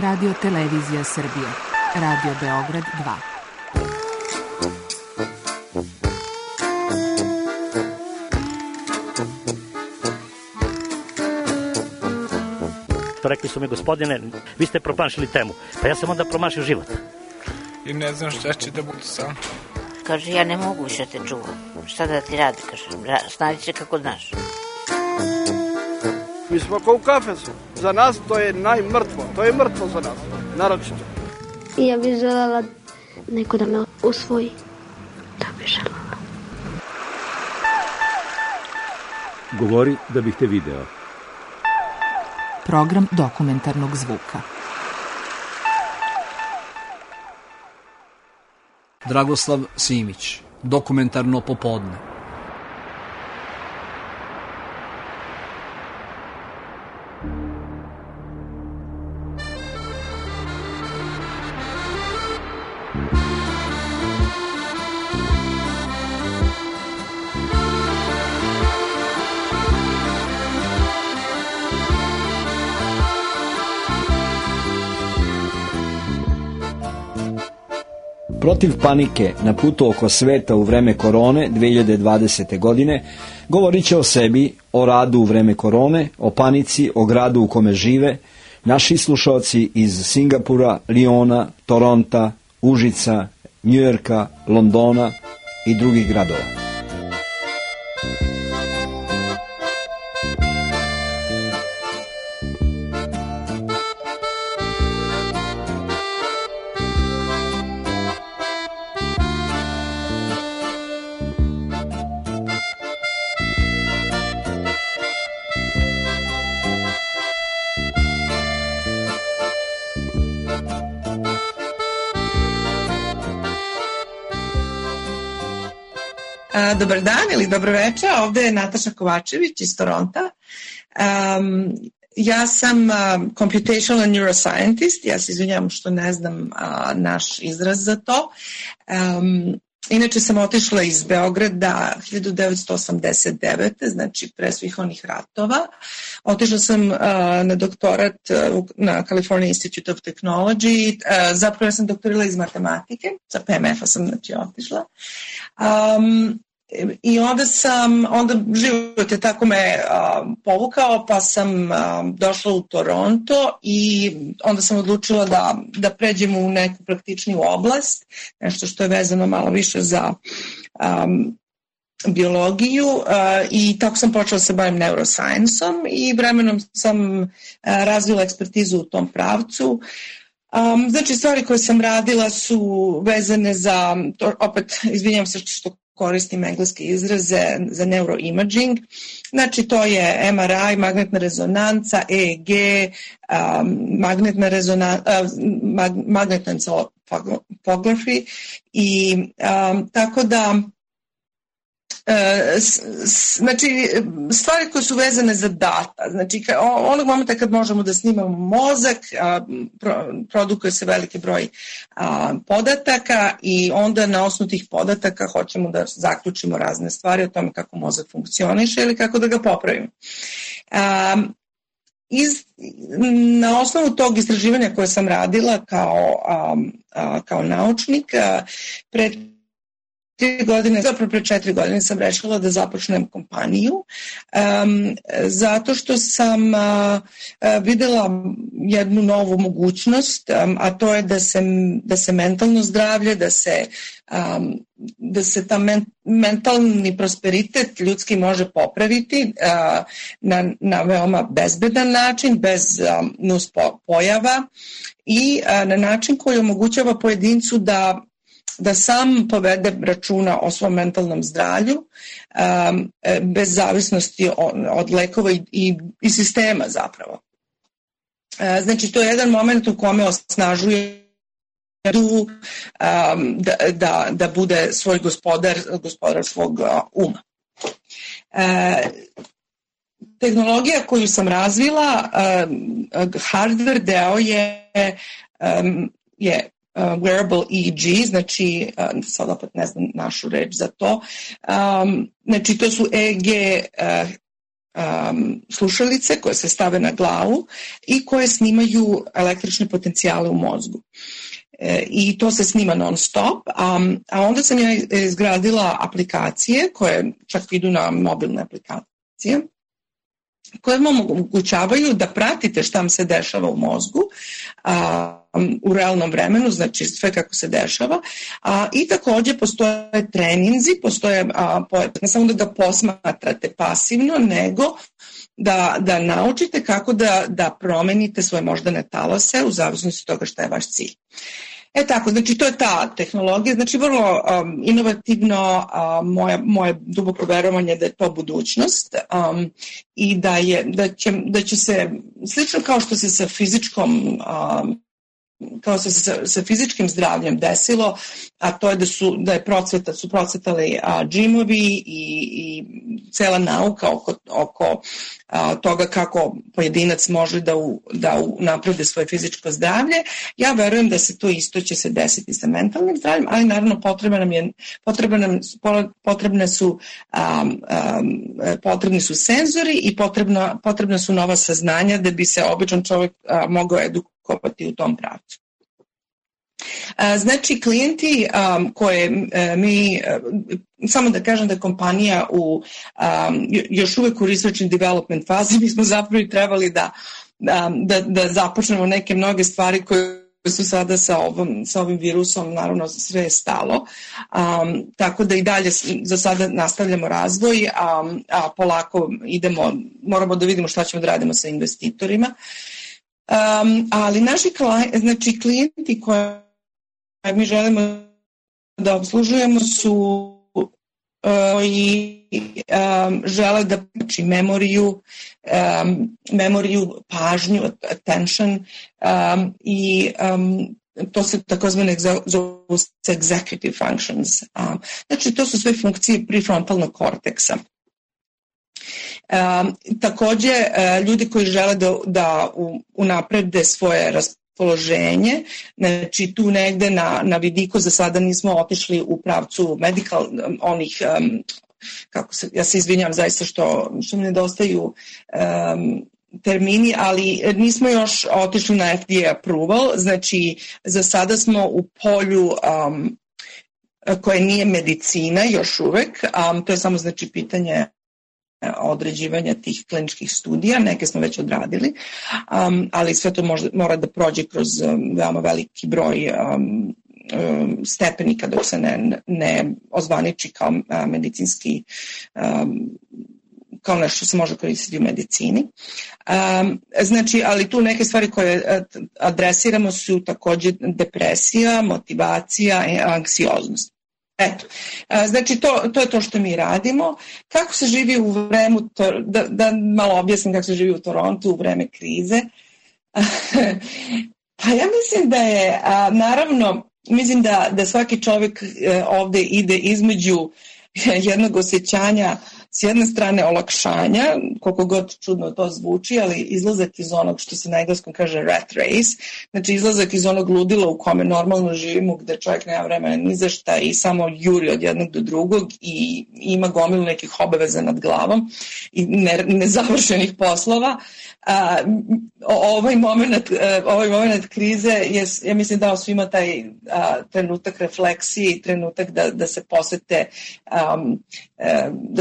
Radio Televizija Srbije, Radio Beograd 2. Rekli su mi, gospodine, vi ste promašili temu. Pa ja sam onda promašio život. I ne znam šta će da bude sam. Kaže, ja ne mogu više te čuvam. Šta da ti radi, kaže, snađi se kako znaš. Mi smo kao u kafesu. Za nas to je najmrtvo. To je mrtvo za nas, naročito. I ja bih želela neko da me usvoji. Da bih želela. Govori da bih te video. Program dokumentarnog zvuka. Dragoslav Simić, dokumentarno popodne. Protiv panike na putu oko sveta u vreme korone 2020. godine govorit će o sebi, o radu u vreme korone, o panici, o gradu u kome žive naši slušalci iz Singapura, Liona, Toronta, Užica, Njujorka, Londona i drugih gradova. Dobar dan ili dobro večer, ovdje je Nataša Kovačević iz Toronta. Ja sam computational neuroscientist, ja se izvinjavam što ne znam naš izraz za to. Inače sam otišla iz Beograda 1989. znači pre svih onih ratova. Otišla sam na doktorat na California Institute of Technology, zapravo ja sam doktorila iz matematike, sa PMF-a sam znači otišla. I onda život je tako me povukao, pa sam došla u Toronto i onda sam odlučila da pređem u neku praktičniju oblast, nešto što je vezano malo više za biologiju i tako sam počela se bavim neuroscience-om i vremenom sam razvila ekspertizu u tom pravcu. Znači stvari koje sam radila su vezane za, opet izvinjam se što koristim engleske izraze, za neuroimaging. Znači to je MRI, magnetna rezonanca, EEG, magnetna encephalography i tako da znači stvari koje su vezane za data, znači onog momenta kad možemo da snimamo mozak, produkuje se veliki broj podataka i onda na osnovu tih podataka hoćemo da zaključimo razne stvari o tome kako mozak funkcioniše ili kako da ga popravimo. Na osnovu tog istraživanja koje sam radila kao naučnik, pre 4 godine sam rešila da započnem kompaniju zato što sam videla jednu novu mogućnost, a to je da se mentalno zdravlje, da se ta mentalni prosperitet ljudski može popraviti na veoma bezbedan način, bez nus pojava i na način koji omogućava pojedincu da sam povede računa o svom mentalnom zdravlju bez zavisnosti od lekova i sistema zapravo. Znači to je jedan moment u kome osnažuje da bude svoj gospodar svog uma. Tehnologija koju sam razvila, hardware deo je wearable EEG, znači sad opet ne znam našu reč za to, znači to su EEG slušalice koje se stave na glavu i koje snimaju električne potencijale u mozgu. I to se snima non stop, a onda sam ja izgradila aplikacije koje čak idu na mobilne aplikacije, koje vam omogućavaju da pratite šta vam se dešava u mozgu u realnom vremenu, znači sve kako se dešava, i takođe postoje treninzi, postoje ne samo da ga posmatrate pasivno, nego da naučite kako da promenite svoje moždane talase u zavisnosti od toga šta je vaš cilj. Tako, znači to je ta tehnologija, znači vrlo inovativno, moje duboko verovanje da je to budućnost i da će se, slično kao što se sa fizičkom kao što se sa fizičkim zdravljem desilo, a to je da su procvetali džimovi i cela nauka oko toga kako pojedinac može da unapredi svoje fizičko zdravlje. Ja verujem da se to isto će se desiti sa mentalnim zdravljem, ali naravno potrebni su senzori i potrebna su nova saznanja da bi se običan čovjek mogao edukovati u tom pravcu. Znači, klijenti koje mi, samo da kažem da je kompanija još uvek u research and development fazi, mi smo zapravo trebali da započnemo neke mnoge stvari koje su sada sa ovim virusom, naravno sve je stalo, tako da i dalje za sada nastavljamo razvoj, a polako moramo da vidimo šta ćemo da radimo sa investitorima. Ali naši klijenti koje mi želimo da obslužujemo su i žele da znači memoriju, pažnju, attention i to se takozvane zove executive functions. Znači to su sve funkcije prefrontalnog korteksa. Takođe, ljudi koji žele da unaprede svoje raspoloženje, znači tu negde na vidiku za sada nismo otišli u pravcu medical, onih, ja se izvinjam zaista što mi nedostaju termini, ali nismo još otišli na FDA approval, znači za sada smo u polju koje nije medicina još uvek, to je samo znači pitanje određivanja tih kliničkih studija, neke smo već odradili, ali sve to mora da prođe kroz veoma veliki broj stepenika dok se ne ozvaniči kao medicinski, kao nešto se može koristiti u medicini. Znači, ali tu neke stvari koje adresiramo su takođe depresija, motivacija i anksioznost. Eto, znači to je to što mi radimo. Kako se živi u vreme, da malo objasnim kako se živi u Torontu u vreme krize. Pa ja mislim da je, naravno, mislim da svaki čovjek ovde ide između jednog osjećanja, s jedne strane olakšanja, koliko god čudno to zvuči, ali izlazak iz onog što se na engleskom kaže rat race, znači izlazak iz onog ludila u kome normalno živimo, gde čovjek nema vremena ni za šta i samo juri od jednog do drugog i ima gomilu nekih obaveza nad glavom i nezavršenih poslova. Ovaj moment krize je, ja mislim, dao svima taj trenutak refleksije i trenutak da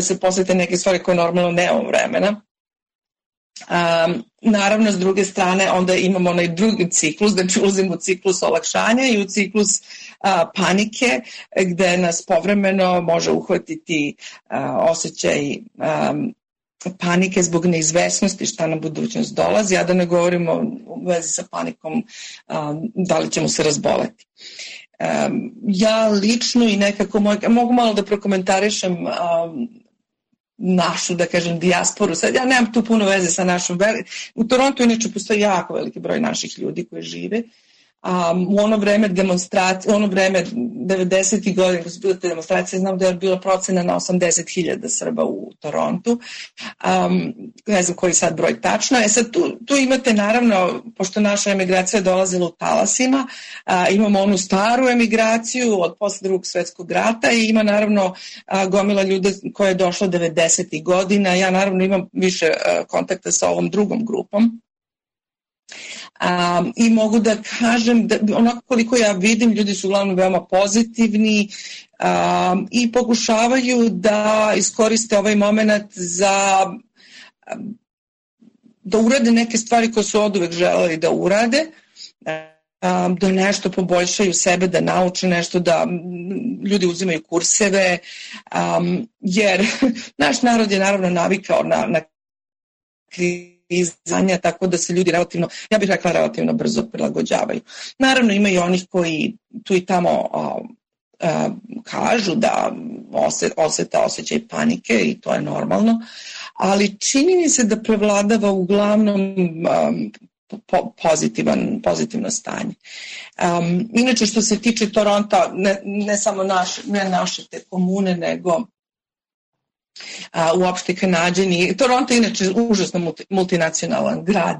se posete neke stvari koje normalno nemamo vremena. Naravno, s druge strane, onda imamo onaj drugi ciklus, znači ulazimo u ciklus olakšanja i u ciklus panike, gde nas povremeno može uhvatiti osjećaj panike zbog neizvesnosti šta na budućnost dolazi, a da ne govorimo u vezi sa panikom da li ćemo se razboleti. Ja lično i nekako mogu malo da prokomentarišem našu, da kažem, dijasporu. Sad ja nemam tu puno veze sa našom. U Torontu inače postoji jako veliki broj naših ljudi koji žive. U ono vreme demonstracije, u ono vreme 90. godina kad su bile te demonstracije, znam da je bila procena na 80.000 Srba u Torontu. ne znam koji sad broj tačno. Sad tu imate naravno, pošto naša emigracija dolazila u talasima, imamo onu staru emigraciju od posle Drugog svjetskog rata i ima naravno gomila ljude koja je došla 90. godina. Ja naravno imam više kontakta sa ovom drugom grupom. I mogu da kažem da onako koliko ja vidim, ljudi su uglavnom veoma pozitivni i pokušavaju da iskoriste ovaj moment da urade neke stvari koje su oduvek želeli da urade, da nešto poboljšaju sebe, da nauče nešto, da ljudi uzimaju kurseve, jer naš narod je naravno navikao na kriznanja, tako da se ljudi relativno, ja bih rekla relativno brzo prilagođavaju. Naravno ima i onih koji tu i tamo kažu da osete osjećaj panike i to je normalno, ali čini mi se da prevladava uglavnom pozitivno stanje. Inače što se tiče Toronta, ne samo naše te komune, nego uopšte Kanadžani. Toronto je inače užasno multinacionalan grad.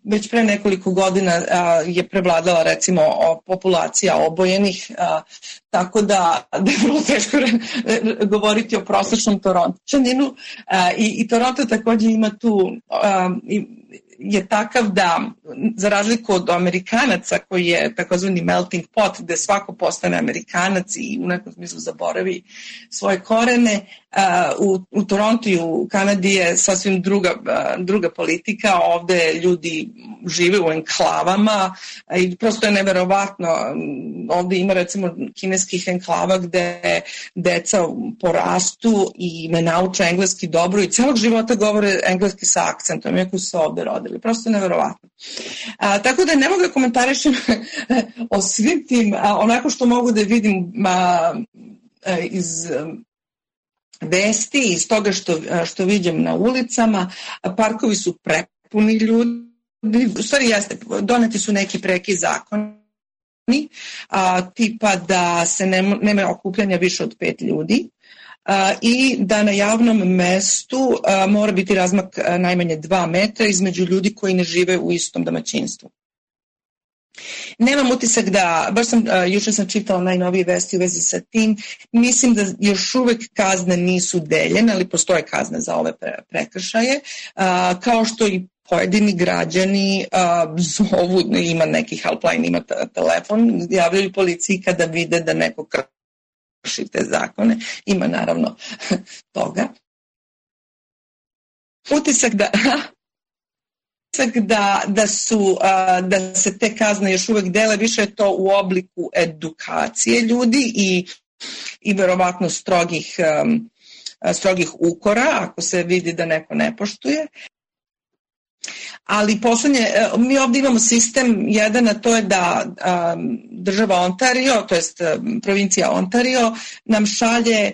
Već pre nekoliko godina je prevladala recimo populacija obojenih, tako da je vrlo teško govoriti o prosječnom Torončaninu i Toronto također ima tu je takav da, za razliku od Amerikanaca koji je takozvani melting pot, gde svako postane Amerikanac i u nekom smislu zaboravi svoje korene, u Torontu i u Kanadi je sasvim druga politika. Ovde ljudi žive u enklavama i prosto je neverovatno. Ovde ima recimo kineskih enklava gde deca porastu i ne nauče engleski dobro i celog života govore engleski sa akcentom, iako su se ovde rodili. Prosto je neverovatno. Tako da ne mogu da komentarišem o svim tim, onako što mogu da vidim iz vesti, iz toga što vidim na ulicama. Parkovi su prepuni ljudi. U stvari jeste, doneti su neki preki zakoni, tipa da se nema okupljanja više od 5 ljudi i da na javnom mestu mora biti razmak najmanje 2 metra između ljudi koji ne žive u istom domaćinstvu. Nemam utisak jučer sam čitala najnovije vesti u vezi sa tim, mislim da još uvek kazne nisu deljene, ali postoje kazne za ove prekršaje, kao što i pojedini građani zovu, ima neki helpline, ima telefon, javljaju policiji kada vide da neko krši te zakone, ima naravno toga. Utisak da se te kazne još uvek dele, više je to u obliku edukacije ljudi i verovatno strogih ukora ako se vidi da neko ne poštuje. Ali mi ovdje imamo sistem jedan, a to je da država Ontario, to jest provincija Ontario, nam šalje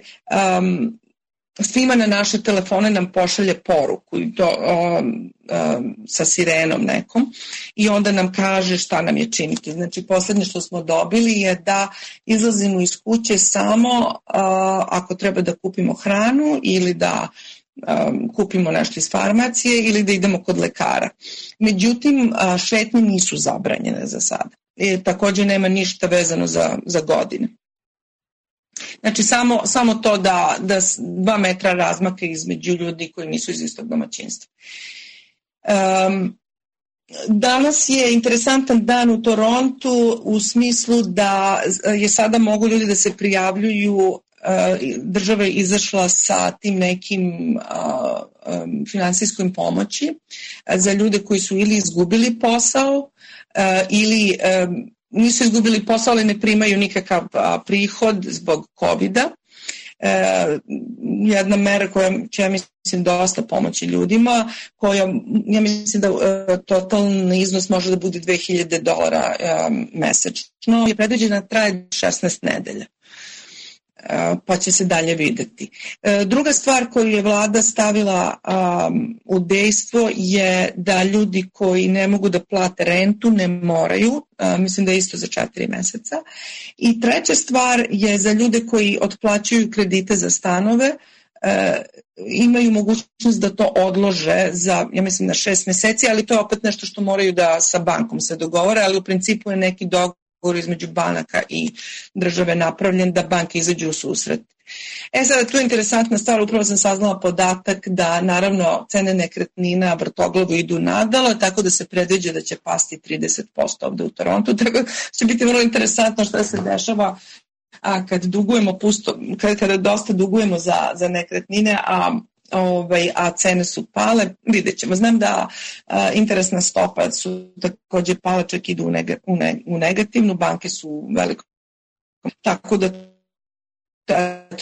svima na naše telefone nam pošalje poruku i to sa sirenom nekom i onda nam kaže šta nam je činiti. Znači posljednje što smo dobili je da izlazimo iz kuće samo ako treba da kupimo hranu ili da kupimo nešto iz farmacije ili da idemo kod lekara. Međutim, šetnje nisu zabranjene za sada. Također nema ništa vezano za godine. Znači samo to da 2 metra razmaka između ljudi koji nisu iz istog domaćinstva. Danas je interesantan dan u Torontu u smislu da je sada mogu ljudi da se prijavljuju, država je izašla sa tim nekim finansijskom pomoći za ljude koji su ili izgubili posao ili nisu izgubili posao, ali ne primaju nikakav prihod zbog COVID-a. Jedna mera koja će, ja mislim, dosta pomoći ljudima, koja, ja mislim da totalni iznos može da bude $2,000 mesečno, je predviđena traje 16 nedelja. Pa će se dalje videti. Druga stvar koju je vlada stavila u dejstvo je da ljudi koji ne mogu da plate rentu ne moraju, mislim da je isto za 4 meseca. I treća stvar je za ljude koji otplaćuju kredite za stanove, imaju mogućnost da to odlože za, ja mislim, na 6 meseci, ali to je opet nešto što moraju da sa bankom se dogovore, ali u principu je neki dogovor između banaka i države napravljen da banke izađu u susret. Sada tu je interesantna stvar, upravo sam saznala podatak da naravno cene nekretnina vrtoglavu idu nadalo, tako da se predviđa da će pasti 30% ovde u Torontu, tako da će biti vrlo interesantno šta se dešava kad dugujemo kada dosta dugujemo za nekretnine, a cene su pale, vidjet ćemo. Znam da interesna stopa su takođe pale, čak idu u negativnu, banke su u velikom, tako da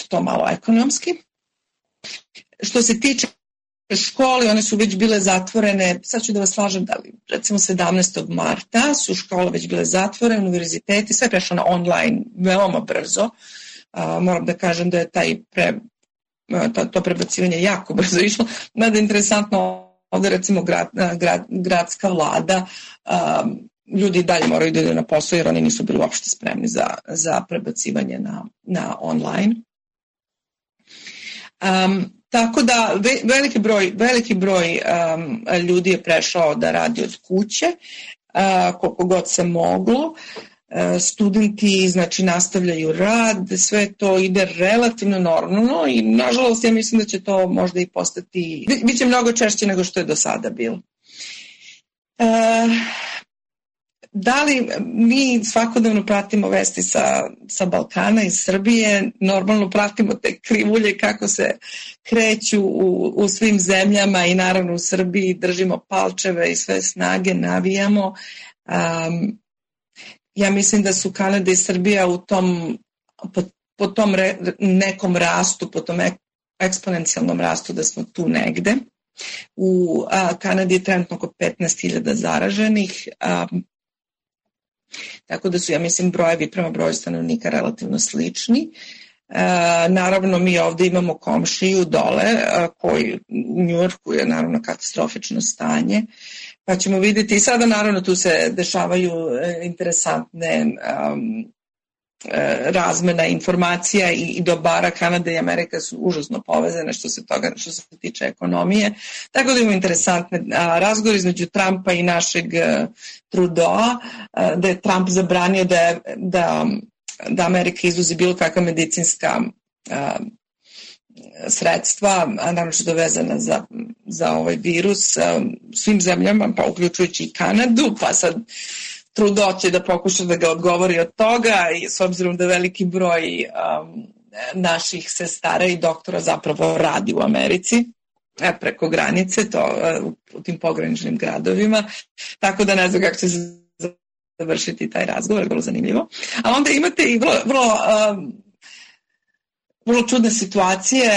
to malo ekonomski. Što se tiče škole, one su već bile zatvorene, sad ću da vas slažem da li, recimo 17. marta su škole već bile zatvorene, univerziteti, sve prešlo na online veoma brzo. Moram da kažem da je to prebacivanje jako brzo išlo. Mada je interesantno ovde recimo gradska vlada, ljudi dalje moraju da idu na posao jer oni nisu bili uopšte spremni za prebacivanje na online. Tako da veliki broj ljudi je prešao da radi od kuće, koliko god se moglo. Studenti znači nastavljaju rad, sve to ide relativno normalno i nažalost ja mislim da će to možda i postati, bit će mnogo češće nego što je do sada bilo. Da li mi svakodnevno pratimo vesti sa Balkana i Srbije, normalno pratimo te krivulje kako se kreću u svim zemljama i naravno u Srbiji držimo palčeve i sve snage navijamo. Ja mislim da su Kanada i Srbija po tom nekom rastu, po tom eksponencijalnom rastu da smo tu negde. U Kanadi je trenutno oko 15.000 zaraženih, tako da su, ja mislim, brojevi prema broju stanovnika relativno slični. Naravno, mi ovde imamo komšiju dole, koji u Njujorku je naravno katastrofično stanje, pa ćemo vidjeti i sada naravno tu se dešavaju interesantne razmena informacija i dobara. Kanada i Amerika su užasno povezane što se tiče ekonomije. Tako da imamo interesantne razgovore između Trumpa i našeg Trudeau, da je Trump zabranio da Amerika izvozi bilo kakva medicinska sredstva, naročito vezana za ovaj virus svim zemljama, pa uključujući i Kanadu, pa sad Trudeau će da pokuša da ga odgovori od toga i s obzirom da veliki broj naših sestara i doktora zapravo radi u Americi preko granice, u tim pograničnim gradovima, tako da ne znam kako će se završiti taj razgovor, vrlo zanimljivo. A onda imate i vrlo čudne situacije.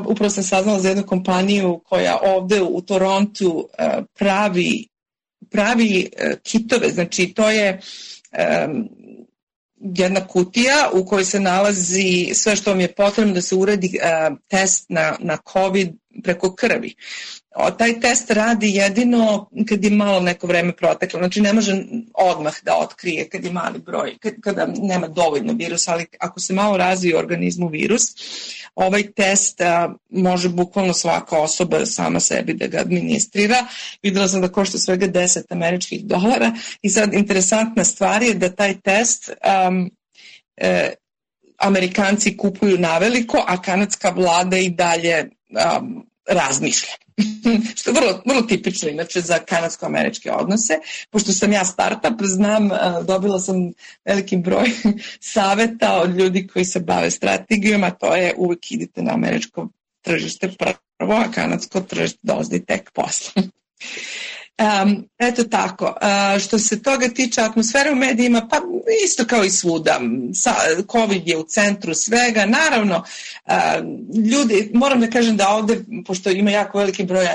Upravo sam saznala za jednu kompaniju koja ovde u Torontu pravi kitove, znači to je jedna kutija u kojoj se nalazi sve što vam je potrebno da se uradi test na COVID preko krvi. Taj test radi jedino kad je malo neko vreme proteklo, znači ne može odmah da otkrije kad je mali broj, kada nema dovoljno virusa, ali ako se malo razvije u organizmu virus, ovaj test može bukvalno svaka osoba sama sebi da ga administrira. Videla sam da košta svega $10 i sad interesantna stvar je da taj test Amerikanci kupuju naveliko, a kanadska vlada i dalje razmišlja. Što je vrlo tipično inače za kanadsko-američke odnose. Pošto sam ja startup, znam, dobila sam veliki broj saveta od ljudi koji se bave strategijom, a to je uvijek idite na američko tržište prvo, a kanadsko tržište dolazi tek posle. Eto tako, što se toga tiče atmosfere u medijima, pa isto kao i svuda, COVID je u centru svega, naravno ljudi, moram da kažem da ovde, pošto ima jako veliki broj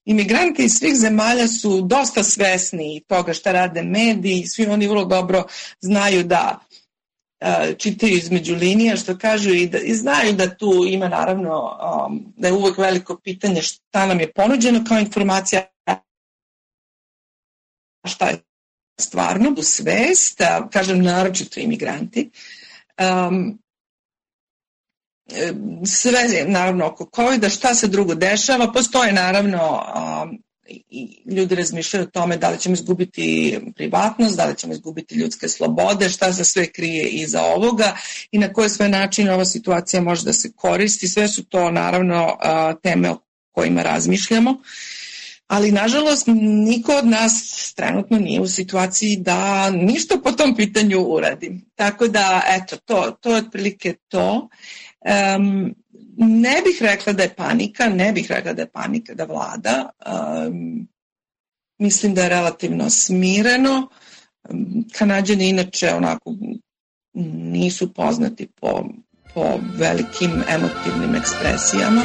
imigranti iz svih zemalja su dosta svesni toga šta rade mediji, svi oni vrlo dobro znaju da čitaju između linija, što kažu, i znaju da tu ima naravno, da je uvek veliko pitanje šta nam je ponuđeno kao informacija, šta je stvarno u svest, kažem naročito imigranti. sve naravno oko COVID-a, šta se drugo dešava, postoje naravno i ljudi razmišljaju o tome da li ćemo izgubiti privatnost, da li ćemo izgubiti ljudske slobode, šta se sve krije iza ovoga i na koje sve načine ova situacija može da se koristi. Sve su to naravno teme o kojima razmišljamo, ali nažalost niko od nas trenutno nije u situaciji da ništa po tom pitanju uradi. Tako da, eto, to je otprilike to. Ne bih rekla da je panika, da vlada. Mislim da je relativno smireno. Kanađani inače onako nisu poznati po velikim emotivnim ekspresijama.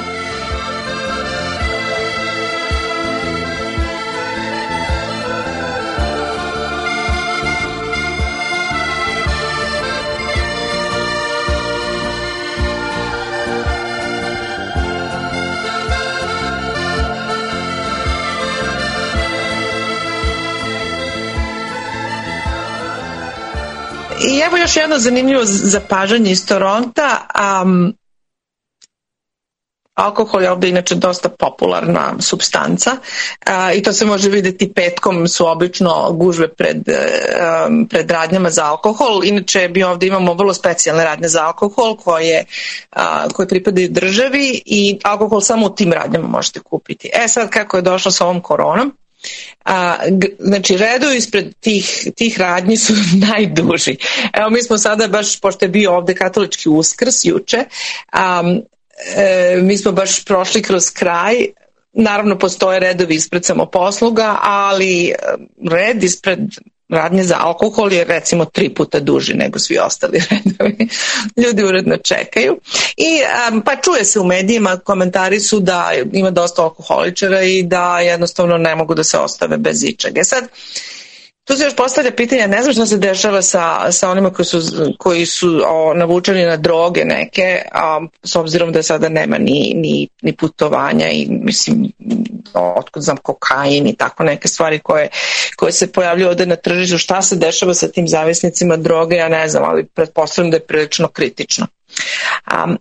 I evo još jedno zanimljivo zapažanje iz Toronta. Alkohol je ovdje inače dosta popularna supstanca i to se može vidjeti petkom, su obično gužve pred radnjama za alkohol. Inače mi ovdje imamo vrlo specijalne radnje za alkohol koje pripadaju državi i alkohol samo u tim radnjama možete kupiti. Sad kako je došlo sa ovom koronom, znači redovi ispred tih radnji su najduži. Evo mi smo sada baš, pošto je bio ovdje katolički Uskrs juče, mi smo baš prošli kroz kraj. Naravno postoje redovi ispred samoposluga, ali red ispred radnje za alkohol je recimo 3 puta duži nego svi ostali redovi. Ljudi uredno čekaju. I pa čuje se u medijima, komentari su da ima dosta alkoholičara i da jednostavno ne mogu da se ostave bez ičega. Sad, tu se još postavlja pitanje, ne znam šta se dešava sa onima koji su navučeni na droge neke, s obzirom da sada nema ni putovanja i mislim, otkud znam, kokain i tako neke stvari koje se pojavljuju ovdje na tržištu. Šta se dešava sa tim zavisnicima droge, ja ne znam, ali pretpostavljam da je prilično kritično.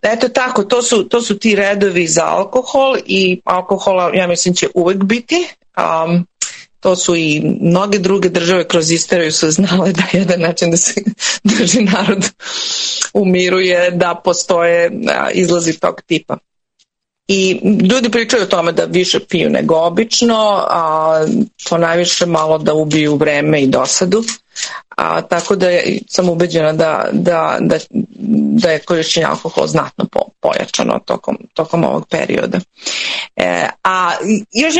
Eto tako, to su ti redovi za alkohol i alkohola, ja mislim, će uvek biti. To su i mnoge druge države kroz istoriju su znale da je jedan način da se drži narod umiruje, da postoje izlazi tog tipa. I ljudi pričaju o tome da više piju nego obično, to najviše malo da ubiju vreme i dosadu. Tako da sam ubeđena da je korišćenje alkohola znatno pojačano tokom ovog perioda. A još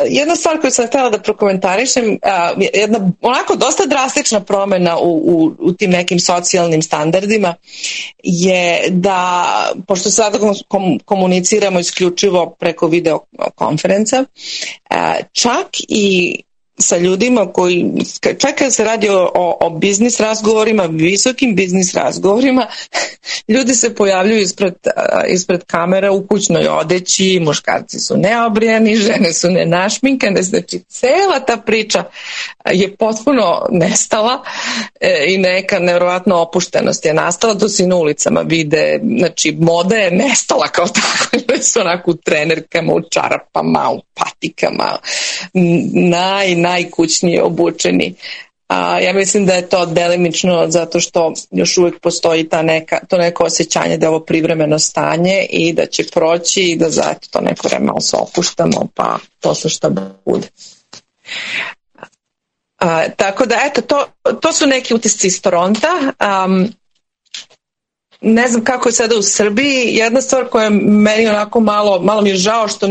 jedna stvar koju sam htjela da prokomentarišem, jedna onako dosta drastična promjena u tim nekim socijalnim standardima je da, pošto sada komuniciramo isključivo preko videokonferenca, čak i sa ljudima koji, čak kad se radi o biznis razgovorima, visokim biznis razgovorima, ljudi se pojavljuju ispred kamera u kućnoj odeći, muškarci su neobrijani, žene su nenašminkane, znači cela ta priča je potpuno nestala i neka nevjerovatna opuštenost je nastala, to se i na ulicama vide, znači moda je nestala kao tako, ljudi su onako u trenerkama, u čarapama, u patikama, najkućnije obučeni. Ja mislim da je to delimično zato što još uvijek postoji to neko osjećanje da je ovo privremeno stanje i da će proći i da zato to neko vreme malo se opuštamo, pa to su što bude. Tako da, eto, to su neki utisci iz Toronta. Ne znam kako je sada u Srbiji. Jedna stvar koja je meni onako malo mi je žao što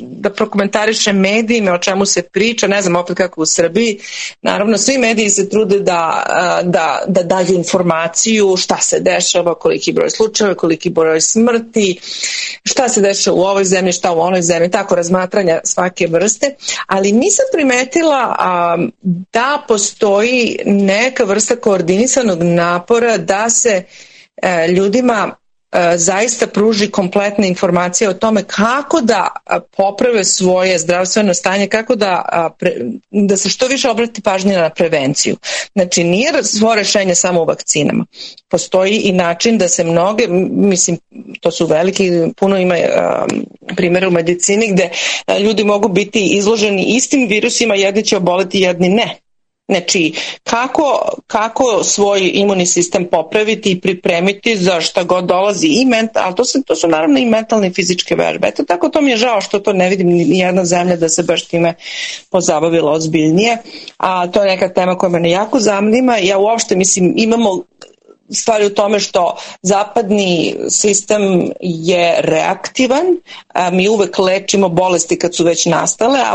da prokomentariše medijima o čemu se priča, ne znam opet kako u Srbiji. Naravno, svi mediji se trude da daju informaciju šta se dešava, koliki broj slučajeva, koliki broj smrti, šta se dešava u ovoj zemlji, šta u onoj zemlji, tako razmatranja svake vrste, ali nisam primetila da postoji neka vrsta koordinisanog napora da se ljudima zaista pruži kompletne informacije o tome kako da poprave svoje zdravstveno stanje, kako da se što više obrati pažnje na prevenciju. Znači, nije svo rešenje samo u vakcinama. Postoji i način da se mnoge, mislim, to su veliki, puno ima primjera u medicini gde ljudi mogu biti izloženi istim virusima, jedni će oboleti, jedni ne. Znači, kako svoj imunni sistem popraviti i pripremiti za šta god dolazi ali to su naravno i mentalne i fizičke vežbe. Eto tako, to mi je žao što to ne vidim ni jedna zemlja da se baš time pozabavila ozbiljnije, a to je neka tema koja mene jako zanima. Ja uopšte mislim, imamo stvari u tome što zapadni sistem je reaktivan, mi uvek lečimo bolesti kad su već nastale, a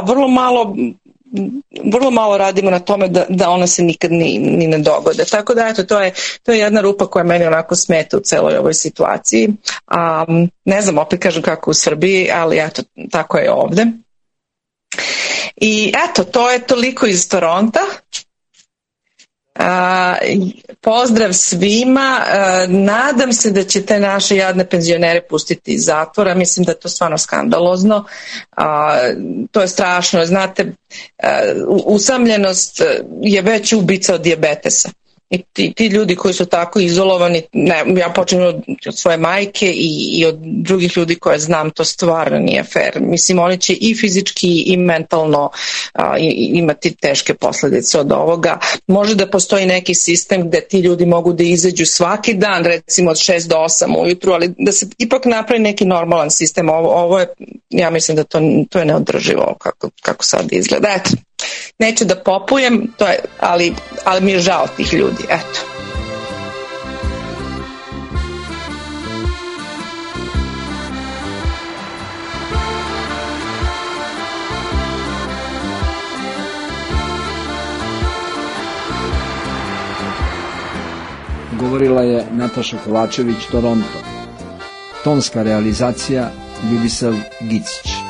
vrlo malo radimo na tome da ona se nikad ni ne dogode. Tako da, eto, to je jedna rupa koja meni onako smeta u celoj ovoj situaciji. Ne znam, opet kažem kako u Srbiji, ali eto, tako je ovde. I eto, to je toliko iz Toronta. Pozdrav svima, nadam se da će te naše jadne penzionere pustiti iz zatvora, mislim da je to stvarno skandalozno, to je strašno, znate, usamljenost je veći ubica od dijabetesa. I ti ljudi koji su tako izolovani, ja počinjem od svoje majke i od drugih ljudi koje znam, to stvarno nije fair. Mislim, oni će i fizički i mentalno imati teške posljedice od ovoga. Može da postoji neki sistem gde ti ljudi mogu da izađu svaki dan, recimo od 6 do 8 ujutru, ali da se ipak napravi neki normalan sistem. Ovo je, ja mislim da to je neodrživo kako sad izgleda. Eto. Neću da popujem, ali mi je žao tih ljudi, eto. Govorila je Nataša Kovačević, Toronto. Tonska realizacija Ljubisav Gicić.